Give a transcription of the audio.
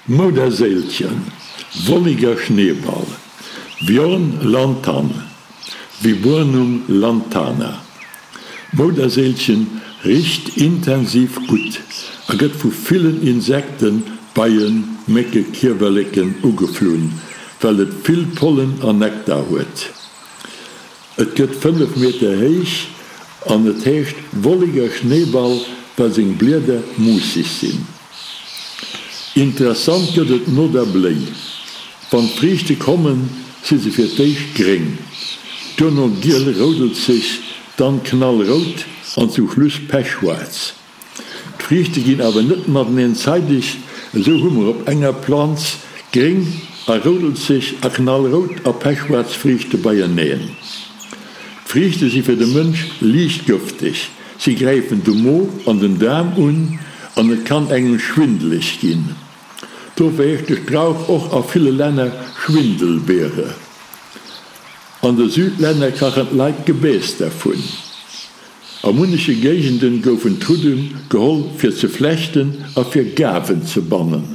Mouderséilchen, Wolliger Schneeball, Viorne lantane, Viburnum lantana. D'Mouderséilchen richt intensiv gutt a gëtt vu villen Insekten, Beien, Mécke, Kiewerleken, ugeflunn, well et vill Pollen an Nektar huet. Et gëtt 5 Meter héich an et heescht Wolliger Schneeball, well seng Blieder muusseg sinn. Interessant gëtt et no der Bléi. Wann d'Friichte kommen, si se fir d'éischt gréng, duerno giel-roudelzeg, dann knallrout an zum Schluss pechschwaarz. D'Friichte ginn awer net mateneen zeideg, esou hu mer op enger Planz gréng a roudelzeg a knallrout a pechschwaarz Friichte beieneen. D'Friichte si fir de Mënsch liicht gëfteg, Si gräifen de Mo an den Daarm un an et kann engem schwindeleg ginn. Dofir heescht de Strauch och a ville Länner Schwindelbeere. An de Südlänner kachen d'Leit Gebääss dervun. A munneche Géigenden goufen d'Rudden geholl fir ze flechten a fir Gaarwen ze bannen.